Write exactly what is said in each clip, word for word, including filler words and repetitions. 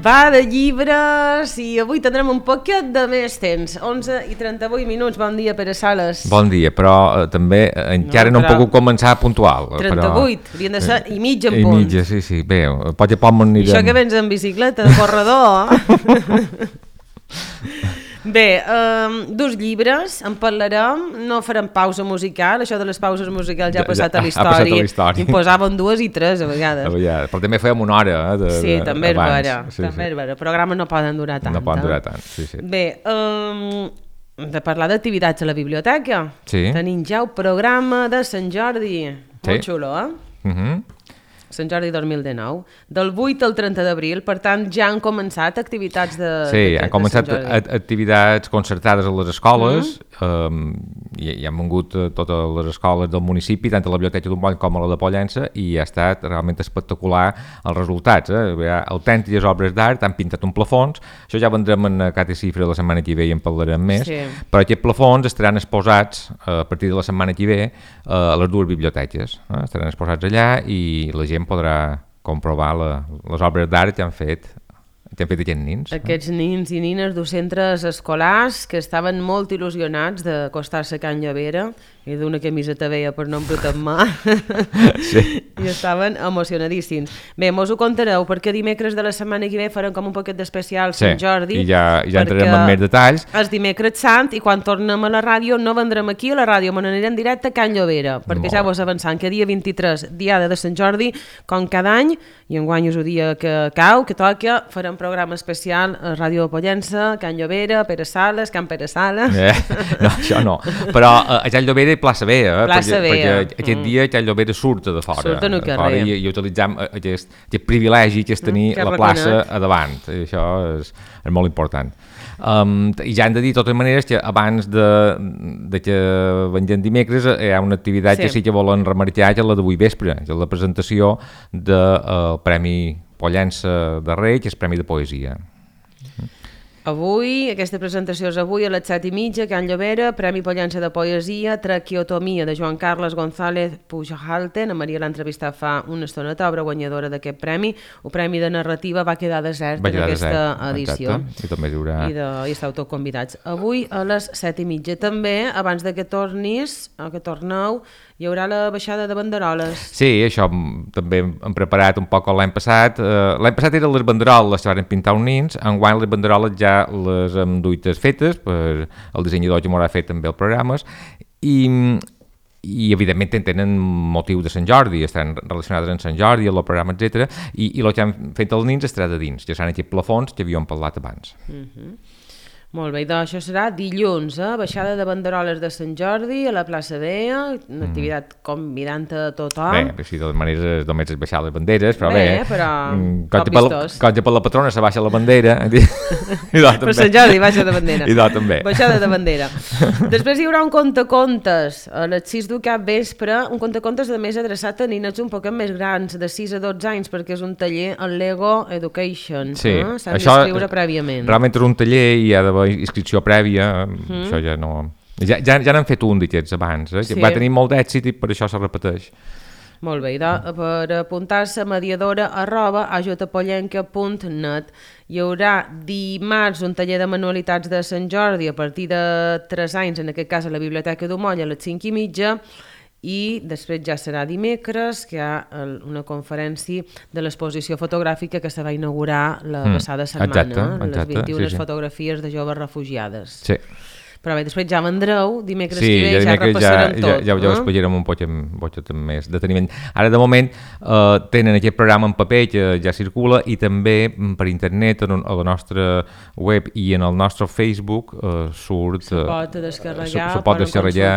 Va de llibres i avui tindrem un poquet de més temps. onze i trenta-vuit minuts. Bon dia, Pere Sales. Bon dia, però eh, també eh, encara no, no hem pogut començar puntual. trenta-vuit, però... haurien de ser i mitja en I punt. I mitja, sí, sí. Bé, potser pot anirem... I això que vens en bicicleta, de corredor. Bé, um, dos llibres, en parlarem, no farem pausa musical, això de les pauses musicals ja ha passat a l'història, i posaven dues i tres a vegades. A vegades. Però també fèiem una hora. Eh, de, sí, de, també és vera, sí, també sí. és vera. Programes no poden durar tant. No poden durar tant, sí, sí. Bé, um, de parlar d'activitats a la biblioteca, sí. Tenim ja el programa de Sant Jordi, sí. Molt xulo, eh? Uh -huh. Sant Jordi dos mil dinou, del vuit al trenta d'abril, per tant ja han començat activitats de Sí, de, han començat activitats concertades a les escoles, mm -hmm. um, i, i han vingut a totes les escoles del municipi, tant a la Biblioteca d'un Moll com a la de Pollença, i ha estat realment espectacular els resultats. Eh? Autèntiques obres d'art, han pintat un plafons, això ja vendrem en Cata i Cifra la setmana que ve i en parlarem més, sí. Però aquests plafons estaran exposats a partir de la setmana que ve a les dues biblioteques, eh? Estaran exposats allà i la gent podrà comprovar la, les obres d'art que han fet que han fet aquests nins. Aquests nins i nines de centres escolars que estaven molt il·lusionats d'acostar-se a Can Llovera i d'una camiseta veia per no embrutar en mà sí. I estaven emocionadíssims. Bé, mos ho contareu perquè dimecres de la setmana que ve farem com un poquet d'especial sí. Sant Jordi i ja, ja entrarem en més detalls. És dimecres sant i quan tornem a la ràdio no vendrem aquí a la ràdio, me n'anirem directe a Can Llovera perquè molt ja vos avançant que dia vint-i-tres, diada de Sant Jordi, com cada any i enguany és el dia que cau, que toca, farem programa especial a Ràdio Pollença, Can Llovera, Pere Sales, Can Pere Sales. Eh, no, això no. Però a Can Llovera i plaça Vea, eh? Plaça perquè, Vea. perquè aquest mm. dia Can Llovera surt de fora. Surt en el carrer. I, i utilitzem aquest, aquest privilegi que és tenir mm, la plaça a davant. I això és, és molt important. Um, I ja hem de dir, de totes maneres, que abans de, de que vengem dimecres hi ha una activitat sí. que sí que volen remarcar, que és la d'avui vespre, que és la presentació del uh, Premi Pollença de Rei, que és Premi de Poesia. Avui, aquesta presentació és avui a les set i mitja, Can Llovera, Premi Pollença de Poesia, Traqueotomia de Joan Carles González Puighalten. A Maria l'ha entrevistat fa una estoneta, obra guanyadora d'aquest premi. El Premi de Narrativa va quedar desert va quedar en aquesta desert. Edició. Exacte. I també hi haurà... I, de, i estàu tots convidats. Avui a les set i mitja. També, abans de que tornis, que torneu, hi haurà la baixada de banderoles. Sí, això també hem preparat un poc l'any passat. Uh, l'any passat eren les banderoles que van pintar uns nins, enguany les banderoles ja les hem duites fetes per el dissenyador que m'haurà fet també els programes i, i evidentment tenen motiu de Sant Jordi, estan relacionades amb Sant Jordi, el programa, etcètera. I, i el que han fet els nins estarà de dins, que seran aquests plafons que havíem parlat abans. Uh-huh. Molt bé, doncs això serà dilluns, eh? Baixada de banderoles de Sant Jordi a la plaça Vea, una activitat mm. convidant a tothom. Bé, si de totes maneres només és baixar les banderes, però bé, bé però quan per, per la patrona se baixa la bandera... I per Sant Jordi baixa de bandera. I doncs també. Baixada de bandera. Després hi haurà un contacontes a les sis del cap vespre, un contacontes de més adreçat a nines un poc més grans, de sis a dotze anys, perquè és un taller al Lego Education. Sí, eh? S'han d'inscriure prèviament. Realment és un taller i hi ha d'haver inscripció prèvia, mm. això ja no... Ja, ja, ja n'han fet un d'aquests abans, eh? Sí. Va tenir molt d'èxit i per això se repeteix. Molt bé, doncs, per apuntar-se mediadora arroba ajutapollenca punt net. Hi haurà dimarts un taller de manualitats de Sant Jordi a partir de tres anys, en aquest cas a la Biblioteca d'Umoll a les cinc i mitja, i després ja serà dimecres que hi ha una conferència de l'exposició fotogràfica que se va inaugurar la passada setmana, exacte, exacte, les vint-i-una sí, sí. fotografies de joves refugiades. Sí. Però bé, després ja vendreu, dimecres sí, que ve, ja, ja repassarem ja, tot. Ja, ja, ja ho explicarem un poc amb, poc amb més deteniment. Ara, de moment, eh, tenen aquest programa en paper que ja circula i també per internet, a la nostra web i en el nostre Facebook eh, surt... Se pot descarregar, se, se pot descarregar,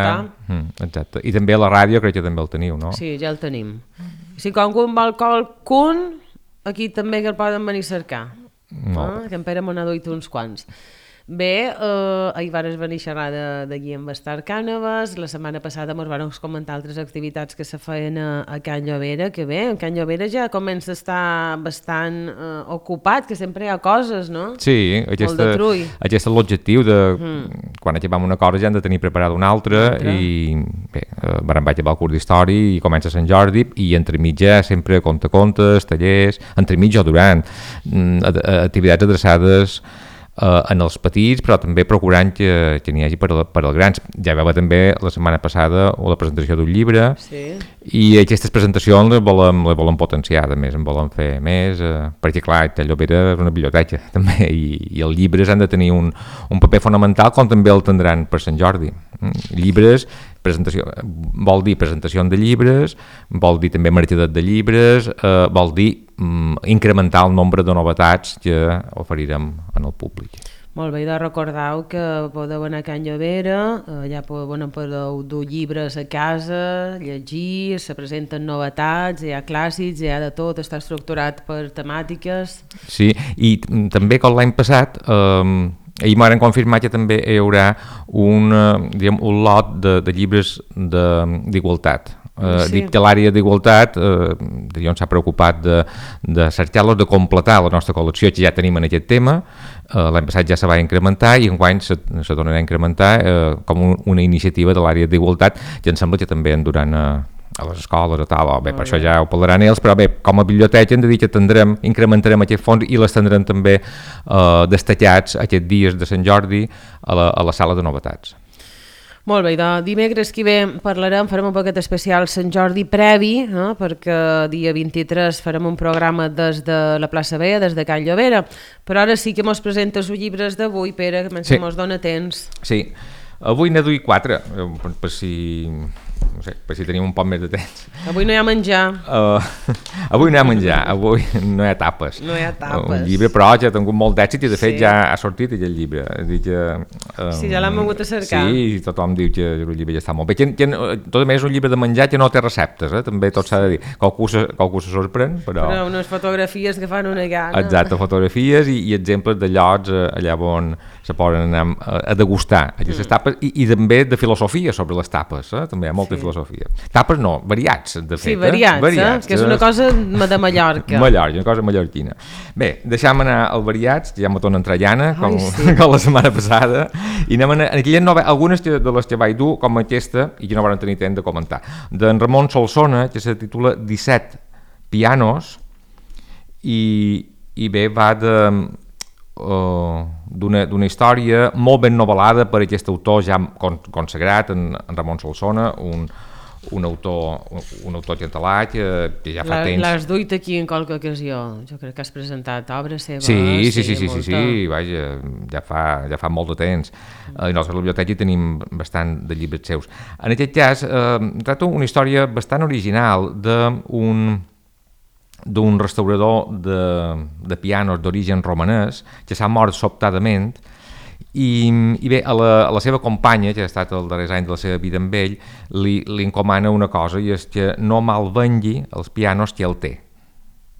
mm, exacte. I també a la ràdio crec que també el teniu, no? Sí, ja el tenim. Si qualcun vol qualcun, aquí també que el poden venir a cercar. Ah, que en Pere me n'ha duit uns quants. Bé, eh, ahir vares venir a xerrar de, de Guillem Bastar Cànovas, la setmana passada ens van comentar altres activitats que se feien a, a Can Llobera, que bé, en Can Llobera ja comença a estar bastant eh, ocupat, que sempre hi ha coses, no? Sí, aquesta, aquest és l'objectiu de mm. quan acabem una cosa ja hem de tenir preparada una altra, altra. I bé, eh, vam vaig acabar el curs d'història i comença Sant Jordi i entre mitja sempre conta-contes, tallers, entre mitja o durant, activitats adreçades Uh, en els petits, però també procurant que, que n'hi hagi per, per als grans. Ja veu també la setmana passada la presentació d'un llibre, sí. I aquestes presentacions les volem, les volem potenciar, també en volem fer més, uh, perquè clar, Can Llobera és una biblioteca també, i, i els llibres han de tenir un, un paper fonamental, com també el tindran per Sant Jordi. Mm? Llibres, presentació, vol dir presentació de llibres, vol dir també mercadet de llibres, uh, vol dir incrementar el nombre de novetats que oferirem en el públic. Molt bé, de recordeu que podeu anar a Can Llobera, allà podeu, podeu dur llibres a casa, llegir, se presenten novetats, hi ha clàssics, hi ha de tot, està estructurat per temàtiques. Sí, i també com l'any passat, eh, ahir m'han confirmat que també hi haurà un, diguem, un lot de, de llibres d'igualtat. Uh, sí. Dic que l'àrea d'igualtat uh, s'ha preocupat de, de cercar-los, de completar la nostra col·lecció que ja tenim en aquest tema. Uh, l'any passat ja se va incrementar i enguany se, se tornarà a incrementar uh, com un, una iniciativa de l'àrea d'igualtat que em sembla que també en duran a, a les escoles o tal, o bé, per això ja ho parlaran ells, però bé, com a biblioteca hem de dir que tindrem, incrementarem aquest fons i les tindrem també uh, destacats aquests dies de Sant Jordi a la, a la sala de novetats. Molt bé, de dimecres que ve parlarem, farem un paquet especial Sant Jordi previ, eh, perquè dia vint-i-tres farem un programa des de la plaça Vella, des de Can Llobera, però ara sí que mos presentes els llibres d'avui, Pere, que sí. Mos dona temps. Sí, avui n'he duit quatre, per, per si... no sé, per si tenim un poc més de temps. Avui no hi ha menjar. Uh, avui no hi ha menjar, avui no hi ha tapes. No hi ha tapes. Un llibre, però ja ha tingut molt d'èxit i de fet sí. Ja ha sortit aquest llibre. Dic que, um, sí, ja l'hem hagut a cercar. Sí, tothom diu que el llibre ja està molt bé. Que, que, tot a més és un llibre de menjar que no té receptes, eh? També tot s'ha de dir. Qualcú se, qualcú se sorprèn, però... Però unes fotografies que fan una gana. Exacte, fotografies i, i exemples de llocs eh, allà on se poden anar a, a degustar aquestes mm. tapes i, i també de filosofia sobre les tapes, eh? També hi ha molta sí. filosofia. Tapes no, variats, de fet. Sí, variats, eh? variats eh? Que és una cosa de Mallorca. Mallorca, una cosa mallorquina. Bé, deixem anar al variats, que ja me torna entrellana, com, sí. com la setmana passada, i anem a aquelles noves, algunes de les que vaig dur, com aquesta, i que no van tenir temps de comentar, d'en Ramon Solsona, que se titula disset pianos, i, i bé, va de... Uh, d'una, d'una història molt ben novel·lada per aquest autor ja consagrat, en, en Ramon Solsona, un, un autor un autor català que, que ja fa La, temps... L'has duit aquí en qualque ocasió, jo crec que has presentat obra seva. Sí, sí, sí, sí, sí, sí, sí, vaja, ja fa, ja fa molt de temps. Mm. A la nostra biblioteca tenim bastant de llibres seus. En aquest cas, eh, tracto una història bastant original d'un d'un restaurador de, de pianos d'origen romanès que s'ha mort sobtadament i, i bé, a la, a la seva companya, que ha estat el darrer any de la seva vida amb ell, li, li encomana una cosa i és que no malvengui els pianos que ell té,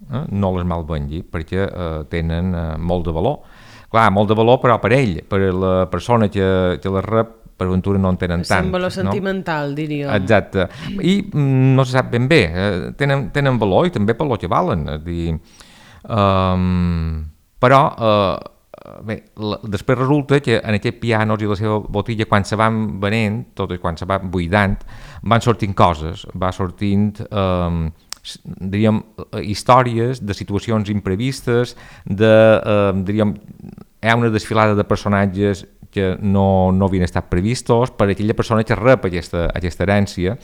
eh? No les malvengui perquè eh, tenen eh, molt de valor, clar, molt de valor però per ell, per la persona que, que les rep per aventura no en tenen tant. És un valor sentimental, no? Diríem. Exacte. I mm, no se sap ben bé, eh, tenen, tenen valor i també per lo que valen. És dir, um, però uh, bé, la, després resulta que en aquests pianos i la seva botilla, quan se van venent, tot i quan se van buidant, van sortint coses, va sortint... Um, diríem, històries de situacions imprevistes, de, eh, diríem, hi ha una desfilada de personatges que no, no havien estat previstos per aquella persona que rep aquesta, aquesta herència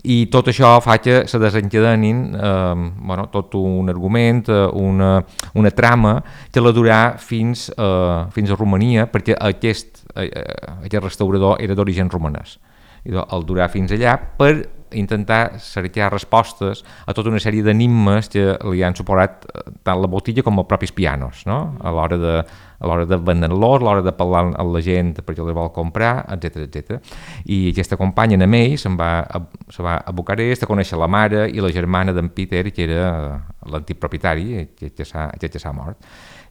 i tot això fa que se desencadenin eh, bueno, tot un argument, una, una trama que la durà fins, eh, fins a Romania, perquè aquest, eh, aquest restaurador era d'origen romanès. I el durà fins allà per intentar cercar respostes a tota una sèrie d'enigmes que li han suposat tant la botilla com els propis pianos, no? A l'hora de, a l'hora de vendre-los, a l'hora de parlar amb la gent perquè els vol comprar, etcètera, etcètera. I aquesta companya, en ell, se'n va, se va a Bucarest a conèixer la mare i la germana d'en Peter, que era l'antic propietari, que, que s'ha mort.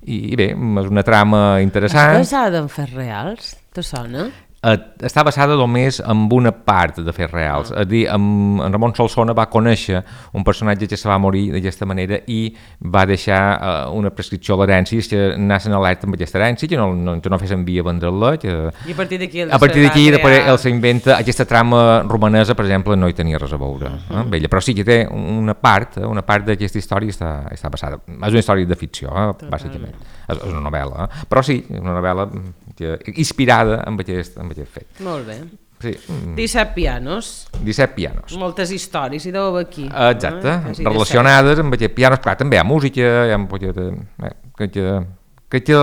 I, I bé, és una trama interessant. És basada en fets reals? Te sona? Està basada només en una part de fets reals. Ah. És a dir, en, en Ramon Solsona va conèixer un personatge que se va morir d'aquesta manera i va deixar uh, una prescripció a l'herència, que anaven alerta amb aquesta herència, que no, no, que no fessin via vendre-la. Que... I a partir d'aquí a partir d'aquí ell s'inventa aquesta trama romanesa, per exemple, no hi tenia res a veure uh -huh. amb ella, però sí que té una part, una part d'aquesta història està, està basada. És una història de ficció, eh, bàsicament. És, és una novel·la, eh? Però sí, una novel·la que, inspirada amb aquest, amb aquest fet. Molt bé. Sí. disset pianos. disset pianos. Moltes històries, i deu aquí. Exacte, eh? Relacionades amb aquest pianos. Clar, també hi ha música, hi ha música eh, que, que, que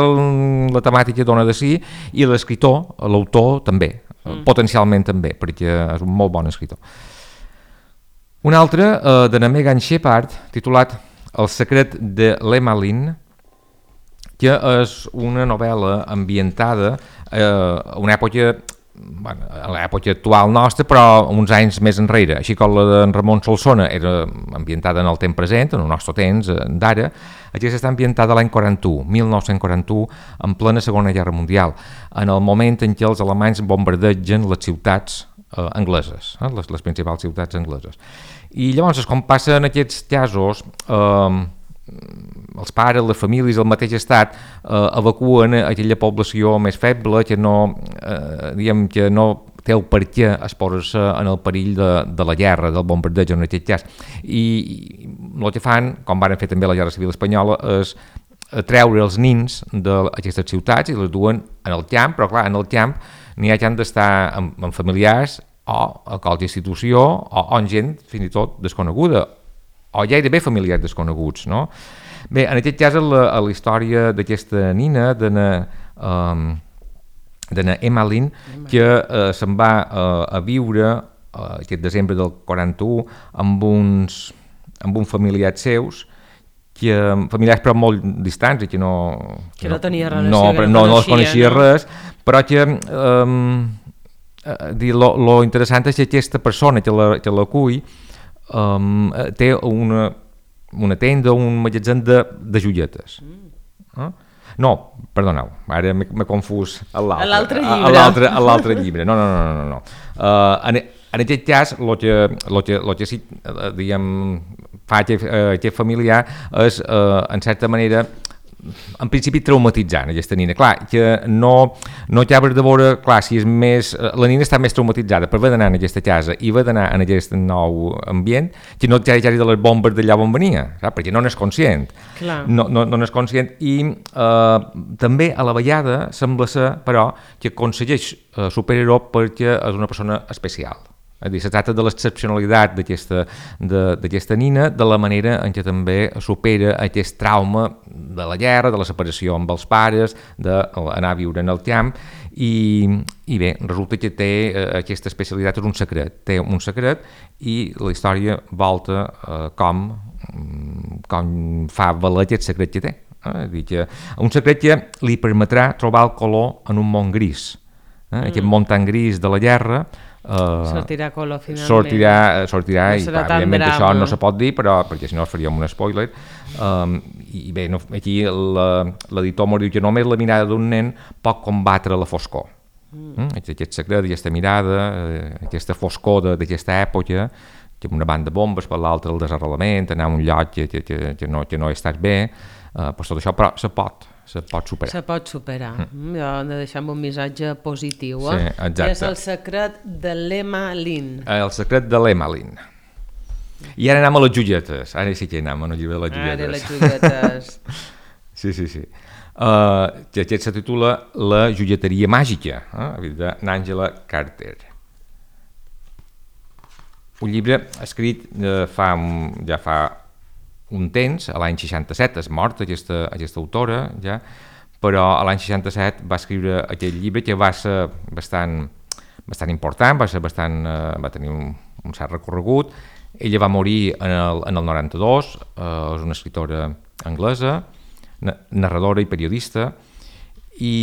la temàtica dona de si, i l'escriptor, l'autor també, mm. potencialment també, perquè és un molt bon escriptor. Un altre, eh, de Megan Shepard, titulat El secret de l'Emmeline, que és una novel·la ambientada eh, a una època, bueno, a l'època actual nostra, però uns anys més enrere, així com la d'en Ramon Solsona era ambientada en el temps present, en el nostre temps d'ara. Aquesta està ambientada l'any quaranta-u, mil nou-cents quaranta-u, en plena Segona Guerra Mundial, en el moment en què els alemanys bombardegen les ciutats eh, angleses, eh, les, les principals ciutats angleses. I llavors, com passa en aquests casos, eh, els pares, les famílies, el mateix estat eh, evacuen aquella població més feble que no, eh, diguem, que no té el per què exposar-se en el perill de, de la guerra, del bombardeig en aquest cas. I, i el que fan, com van fer també la Guerra Civil Espanyola, és treure els nins d'aquestes ciutats i les duen en el camp, però clar, en el camp n'hi ha que han d'estar amb, amb familiars o a qualsevol institució o amb gent fins i tot desconeguda, o gairebé familiars desconeguts, no? Bé, en aquest cas, a la, a la història d'aquesta nina, d'ana um, Emmeline, que uh, se'n va uh, a viure uh, aquest desembre del quaranta-u amb uns, amb uns familiars seus, que, familiars però molt distants i que no, que no, no tenia relació, no, que no, no, no els coneixia no? res, però que um, lo, lo interessant és que aquesta persona que la, que l'acull Um, té una, una tenda, un magatzem de, de joietes. Mm. Eh? No, perdoneu, ara m'he confús a l'altre llibre. A l'altre llibre, no, no, no, no. no. Uh, en, en aquest cas, el que, lo que, lo que sí, uh, diguem, fa aquest, uh, aquest familiar és, uh, en certa manera, en principi traumatitzant aquesta nina, clar, que no, no acabes de veure, clar, si és més, la nina està més traumatitzada per haver d'anar en aquesta casa i haver d'anar en aquest nou ambient, que no ja de les bombes d'allà on venia, saps? Perquè no n'és conscient, clar. no, no, no n'és conscient, i eh, també a la vegada sembla ser, però, que aconsegueix eh, superar-ho perquè és una persona especial. És dir, se tracta de l'excepcionalitat d'aquesta nina, de la manera en què també supera aquest trauma de la guerra, de la separació amb els pares, d'anar a viure en el camp, i, i bé, resulta que té eh, aquesta especialitat, és un secret, té un secret, i la història volta eh, com, com fa valer aquest secret que té. Eh? Dir que un secret que li permetrà trobar el color en un món gris, eh? mm. aquest món tan gris de la guerra. Uh, sortirà color finalment, sortirà, sortirà no i clar, evidentment això no se pot dir, però perquè si no faríem un spoiler. Um, i bé, no, aquí l'editor mos diu que només la mirada d'un nen pot combatre la foscor. mm. Mm? Aquest secret, aquesta mirada, aquesta foscor d'aquesta època, que una banda de bombes, per l'altra el desarrelament, anar a un lloc que, que, que, que, no, que no estàs bé, uh, pues tot això, però se pot se pot superar. Se pot superar. Mm. Hem de deixar un missatge positiu. Eh? Sí, exacte. I és el secret de l'Emmeline. El secret de l'Emmeline. I ara anem a les joietes. Ara sí que anem a el llibre de les joietes. Ara les joietes. sí, sí, sí. Uh, que aquest se titula La joieteria màgica, eh? d'Angela Carter. un llibre escrit eh, fa un, ja fa un temps, a l'any seixanta-set, és morta aquesta, aquesta autora, ja, però a l'any seixanta-set va escriure aquest llibre que va ser bastant, bastant important, va, ser bastant, eh, va tenir un, un cert recorregut. Ella va morir en el, en el noranta-dos, eh, és una escriptora anglesa, narradora i periodista, i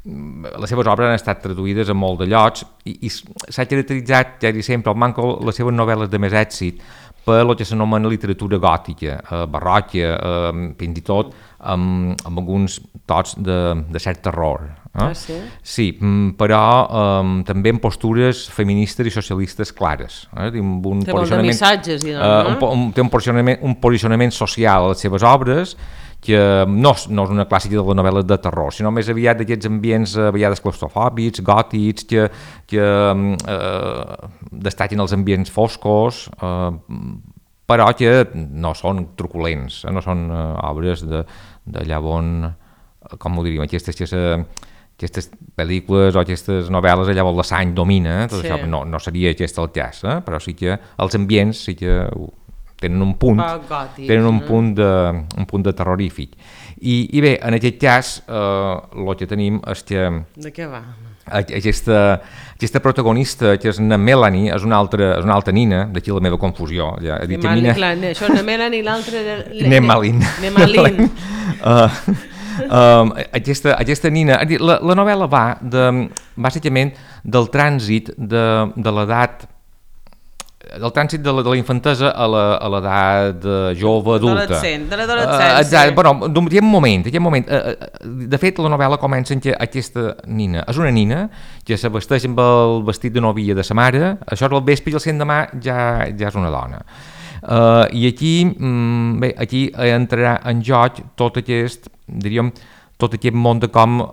les seves obres han estat traduïdes a molt de llocs i, i s'ha caracteritzat, ja dic sempre, el manco les seves novel·les de més èxit per el que s'anomena literatura gòtica, eh, barroca, eh, fins i tot amb, amb alguns tots de, de cert terror. Eh? Ah, sí? Sí, però eh, també amb postures feministes i socialistes clares. Eh? Amb un té molt de missatges, eh, un, un, té un posicionament, un posicionament social a les seves obres que no, no és una clàssica de les novel·les de terror, sinó més aviat d'aquests ambients a vegades claustrofòbics, gòtics, que, que eh, destaquen els ambients foscos, eh, però que no són truculents, eh, no són eh, obres de, de llavors, com ho diríem, aquestes, aquestes, aquestes pel·lícules o aquestes novel·les allà on la sang domina, tot sí. Això no, no seria aquest el cas, eh? Però sí que els ambients sí que tenen un punt, gòtic, tenen un no? punt de, un punt de terrorífic. I, i bé, en aquest cas, eh, el que tenim és que de què va? Aquesta, aquesta protagonista, que és na Melanie, és una altra, és una altra nina, d'aquí la meva confusió. Ja, he dit Nemalin, nina... clar, això na Melanie i l'altra... Nemalin. Nemalin. uh, um, aquesta, aquesta nina... La, la novel·la va, de, bàsicament, del trànsit de, de l'edat del trànsit de la, de la infantesa a l'edat jove, adulta. De l'adolescència. Uh, bueno, d'un moment, d'un moment. Uh, de fet, la novel·la comença en què aquesta nina és una nina que se vesteix amb el vestit de novia de sa mare, això és el vespre i el l'endemà ja, ja és una dona. Uh, I aquí, um, bé, aquí entrarà en joc tot aquest, diríem, tot aquest món de com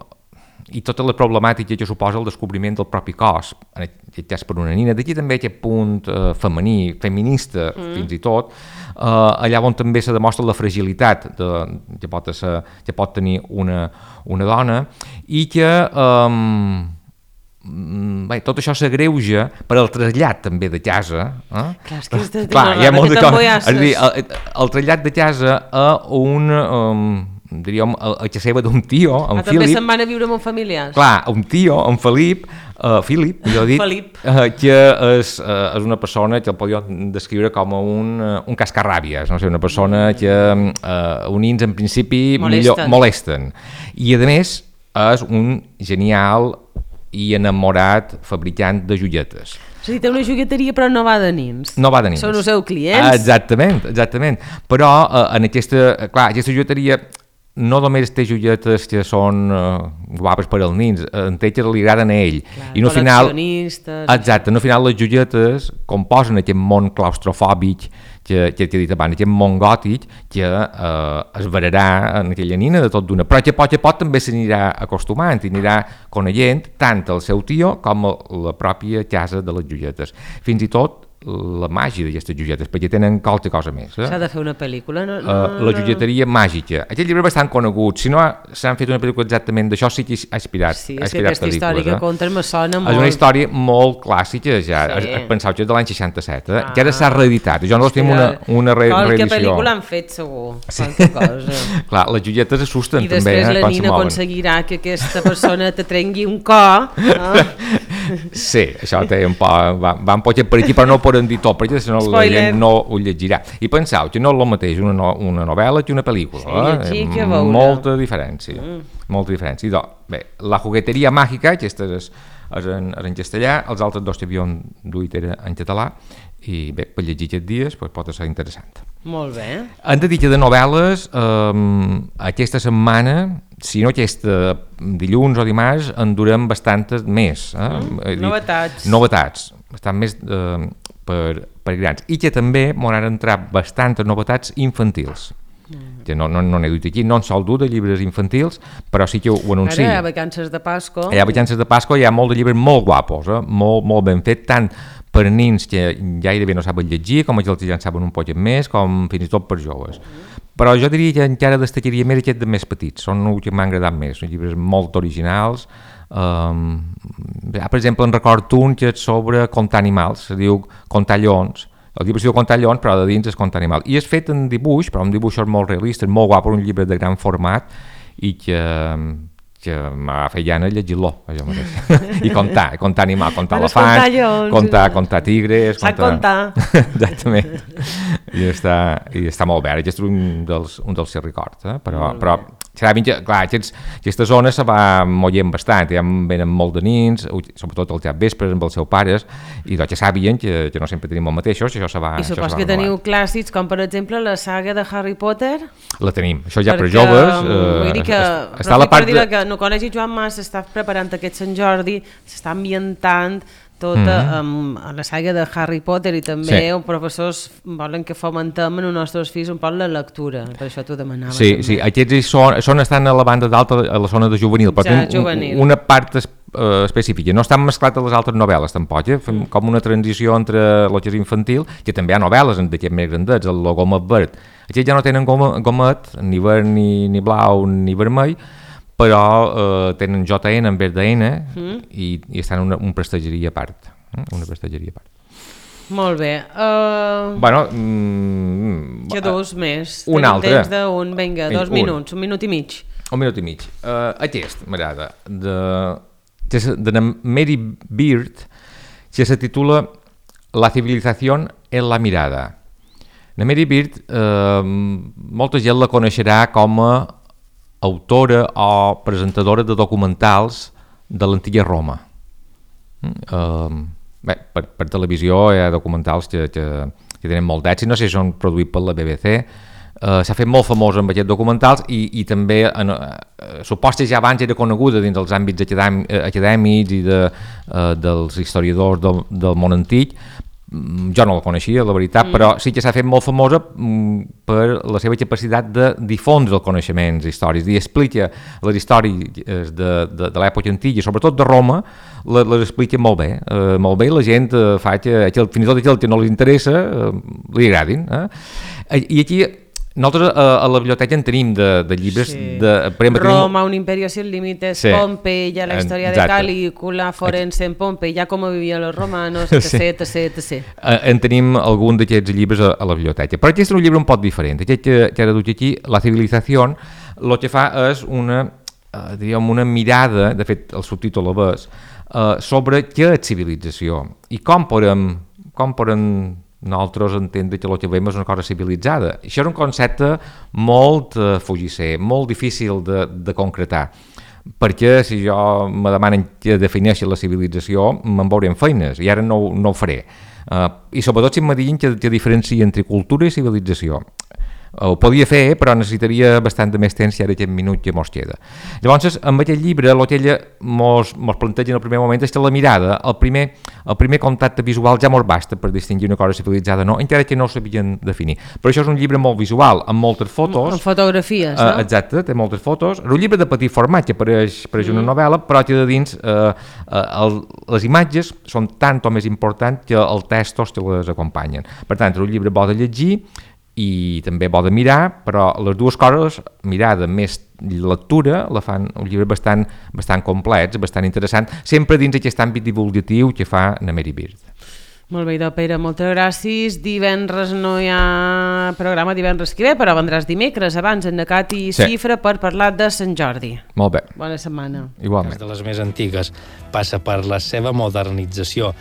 i tota la problemàtica que suposa el descobriment del propi cos, en aquest cas per una nina. D'aquí també aquest punt eh, femení, feminista, mm. fins i tot, eh, allà on també se demostra la fragilitat de, que, pot ser, que pot tenir una, una dona, i que eh, bé, tot això s'agreuja per al trasllat també de casa. Eh? Clar, és que és de, Clar, hi ha molt de com, és a dir, el, el trasllat de casa a un... Eh, diríem, a, a que seva d'un tio, en ah, Philip. També se'n van a viure amb familiars. Clar, un tio, en Felip, uh, Philip, jo dic, uh, que és, uh, és una persona que el podríem descriure com un, uh, un cascarràbies, no sé, una persona que uh, unins en principi molesten. millor molesten. I a més és un genial i enamorat fabricant de joietes. És a dir, té una jogueteria però no va de nins. No va de nins. Són els seus clients. Exactament, exactament. Però uh, en aquesta, clar, aquesta joieteria no només té joietes que són uh, guapes per als nins, en té que li agraden a ell. Clar, i no final, col·leccionistes... Exacte, no final les joietes composen aquest món claustrofòbic que, que t'he dit abans, aquest món gòtic que eh, es vararà en aquella nina de tot d'una, però que pot, que pot també s'anirà acostumant i anirà coneixent tant el seu tio com la pròpia casa de les joietes. Fins i tot la màgia d'aquestes joietes, perquè tenen qualque cosa més. Eh? S'ha de fer una pel·lícula, no? no uh, la joieteria no. màgica. Aquest llibre és bastant conegut, si no s'han fet una pel·lícula exactament d'això, sí que ha inspirat, sí, ha és que inspirat aquesta història eh? que conten me sona molt. És una història molt clàssica, ja. Sí. Pensau que és de l'any seixanta-set, eh? ah. que ara s'ha reeditat. Jo no tenim una, una re qualque reedició. Qualque pel·lícula han fet, segur. Sí. Cosa. Clar, les joietes assusten I també, eh, després la nina aconseguirà que aquesta persona te trengui un cor. Eh? Sí, això té un poc... Va, va un poc per aquí, però no ho poden dir tot, perquè si no la gent no ho llegirà. I penseu que no és el mateix una, no, una novel·la que una pel·lícula. Sí, eh? Molta diferència. Mm. Molta diferència. I doncs, bé, La jugueteria màgica, aquesta és, és, en, és en castellà, els altres dos que havíem duit era en català, i bé, per llegir aquests dies pues, pot ser interessant. Molt bé. Han de dir que de novel·les, eh, aquesta setmana, si no aquesta dilluns o dimarts, en durem bastantes més. Eh? Mm, dit, novetats. Novetats, bastant més eh, per, per grans. I que també m'han entrat bastantes novetats infantils. Mm. Que no, no, no n'he dut aquí, no en sol dur de llibres infantils, però sí que ho anuncio. Ara hi ha vacances de Pasco. Hi ha vacances de Pasco, hi ha molt de llibres molt guapos, eh? molt, molt ben fet, tant per nins que gairebé no saben llegir, com els que ja en saben un poc més, com fins i tot per joves. Però jo diria que encara destacaria més aquests de més petits, són els que m'han agradat més, són llibres molt originals. Um, per exemple, en record un que és sobre contar animals, se diu Contar lleons. El llibre es diu Contar lleons, però de dins és Contar animals. I és fet en dibuix, però un dibuix molt realista, molt guapo, un llibre de gran format, i que, que m'ha fet gana llegir-lo, això mateix. I contar, contar animals, contar elefants, contar, contar, contar tigres... Sap contar. Exactament. I està, i està molt bé. Aquest és un dels, un dels que records, eh? però, però serà ben que, clar, aquests, aquesta zona se va mollent bastant, ja venen molt de nins, sobretot els vespres amb els seus pares, i doncs ja sabien que, que no sempre tenim el mateix, això se va... I supos que teniu clàssics, com per exemple la saga de Harry Potter? La tenim, això ja per joves... Eh, vull dir que, està a la part de... que no coneix Joan Mas, s'està preparant aquest Sant Jordi, s'està ambientant tota mm-hmm. um, la saga de Harry Potter i també sí. els professors volen que fomentem en els nostres fills un poc la lectura, per això t'ho demanava. Sí, també. sí, aquests són, són estan a la banda d'alta, a la zona de juvenil, però ja, juvenil. Un, una part es, uh, específica, no estan mesclats a les altres novel·les tampoc, eh? Fem mm. com una transició entre el que és infantil, que també hi ha novel·les d'aquests més grandets, el Gomet Verd, aquests ja no tenen gomet, ni verd, ni, ni blau, ni vermell, però eh, tenen J N en vez de N mm. i, i estan en una, una prestageria a part. Eh? Una prestageria a part. Molt bé. Uh... Bueno, mm, que dos més. Un Tenim altre. temps d'un, vinga, dos un. minuts, un minut i mig. Un minut i mig. Uh, aquest m'agrada, de, de, de Mary Beard, que se titula La civilización en la mirada. La Mary Beard, uh, molta gent la coneixerà com a autora o presentadora de documentals de l'antiga Roma. Uh, bé, per, per televisió hi ha documentals que, que, que tenen molt d'èxit, no sé si són produïts per la B B C, uh, s'ha fet molt famós amb aquests documentals i, i també en, uh, suposa ja abans era coneguda dins dels àmbits acadèm, acadèmics i de, uh, dels historiadors del, del món antic. Jo no la coneixia, la veritat, mm. però sí que s'ha fet molt famosa mm, per la seva capacitat de difondre els coneixements històrics, i explica les històries de, de, de l'època antiga, sobretot de Roma, les, les explica molt bé, eh, molt bé, i la gent eh, fa que, que fins i tot aquell que no li interessa eh, li agradin. Eh? I aquí nosaltres a, a la biblioteca en tenim de, de llibres sí. de... Exemple, Roma, un imperio sin límites, sí. Pompeya, la història de Calígula, Forense en Pompeya, com vivien els romanos, etc, sí. etc, etcètera. En tenim algun d'aquests llibres a, a la biblioteca. Però aquest és un llibre un poc diferent. Aquest que, que ara duc aquí, La civilización, el que fa és una, eh, diríem, una mirada, de fet el subtítol ho és, eh, sobre què és civilització i com podem, com podem nosaltres entendre que el que veiem és una cosa civilitzada. Això és un concepte molt eh, fugisser, molt difícil de, de concretar, perquè si jo me demanen que defineixi la civilització me'n veuré en feines, i ara no, no ho faré. Uh, I sobretot si em diguin que, que diferencia entre cultura i civilització. Ho podia fer, però necessitaria bastant de més temps i ara aquest minut que mos queda. Llavors, amb aquest llibre, el que ella mos, mos planteja en el primer moment és que la mirada, el primer, el primer contacte visual ja mos basta per distingir una cosa civilitzada, no? Encara que no ho sabien definir. Però això és un llibre molt visual, amb moltes fotos. Amb fotografies, no? Uh, exacte, té moltes fotos. És un llibre de petit format, que apareix, apareix mm. una novel·la, però que de dins uh, uh, el, les imatges són tant o més importants que els textos que les acompanyen. Per tant, és un llibre bo de llegir, i també bo de mirar, però les dues coses, mirada més lectura, la fan un llibre bastant, bastant complet, bastant interessant, sempre dins aquest àmbit divulgatiu que fa na Mary Beard. Molt bé, idò, Pere, moltes gràcies. Divendres no hi ha programa divendres que ve, però vendràs dimecres abans en Necat i sí. Xifra per parlar de Sant Jordi. Molt bé. Bona setmana. Igualment. De les més antigues passa per la seva modernització,